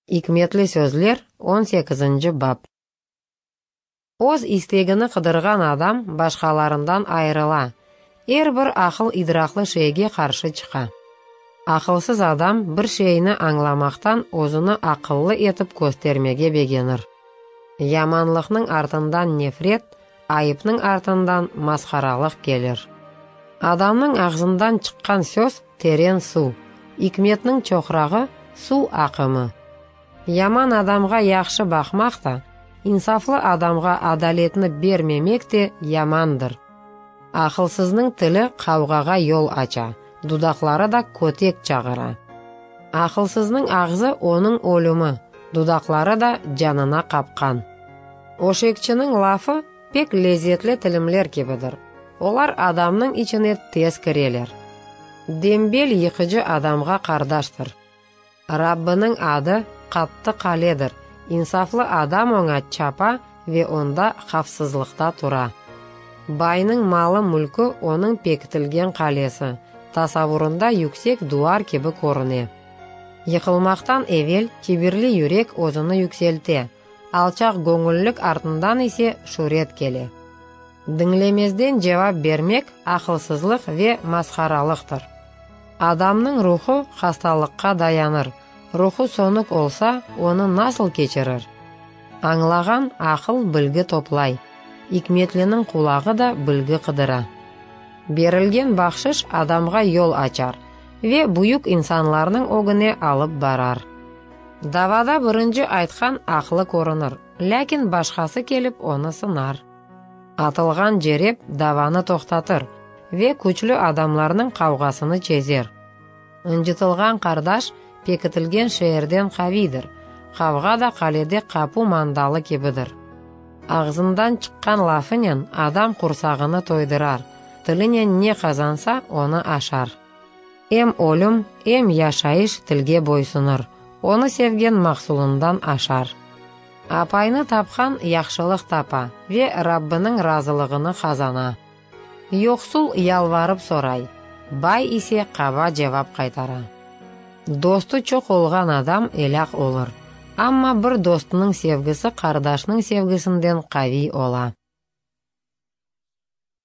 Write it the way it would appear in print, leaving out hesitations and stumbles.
İkmetli sözler, on sekizinci bap. Öz istegini qıdırğan adam başqalarından ayırıla, er bir aqıl-idraqlı şeyge qarşı çıqa. Aqılsız adam bir şeyni añlamaqtan özüni aqıllı etip köstermege begenir. Yamanlıqnıñ artından nefret, ayıpnıñ artından masharalıq kelir. Adamnıñ ağzından çıqqan söz teren suv, ikmetniñ çoqrağı, suv aqımı. Yaman adamğa yahşı baqmaq da, insaflı adamğa adaletni bermemek de yamandır. Aqılsıznıñ tili qavğağa yol aça, dudaqları da kötek çağıra. Aqılsıznıñ ağzı onıñ ölümi, dudaqları da canına qapqan. Öşekçiniñ lafı pek lezetli tilimler kibidir, olar adamnıñ içine tez kireler. Dembel yıqıcı adamğa qardaştır. Rabbiniñ adı, qattı qaledir, insaflı adam oña çapa ve onda havfsızlıqta tura. Baynıñ malı-mülkü onıñ pekitilgen qalesi, tasavurında yüksek duvar kibi körüne. Yıqılmaqtan evel kibirli yürek özüni yükselte, alçaq göñüllik artından ise şüret kele. Diñlemezden cevap bermek aqılsızlıq ve masharalıqtır. Adamnıñ ruhu hastalıqqa dayanır, ruhu sönük olsa, onı nasıl keçirir? Añlağan aqıl bilgi toplay, ikmetliniñ qulağı da bilgi qıdıra. Berilgen bahşış adamğa yol açar ve büyük insanlarnıñ ögüne alıp barar. Davada birinci aytqan aqlı körünir, lâkin başqası kelip onı sınar. Atılğan cerep davanı toqtatır ve küçlü adamlarnıñ qavğasını çezer. Incıtılğan qardaş pekitilgen şeerden qaviydir, qavğa da qalede qapu mandalı kibidir. Ağzından çıqqan lafınen adam qursağını toydurar, tilinen ne qazansa, onı aşar. Em ölüm, em yaşayış tilge boysunır, onı sevgen mahsulından aşar. Apaynı tapqan yahşılıq tapa ve Rabbiniñ razılığını qazana. Yoqsul yalvarıp soray, bay ise qaba cevap qaytara. Dostu çoq olğan adam elâk olur, amma bir dostunıñ sevgisi qardaşnıñ sevgisinden qaviy ola.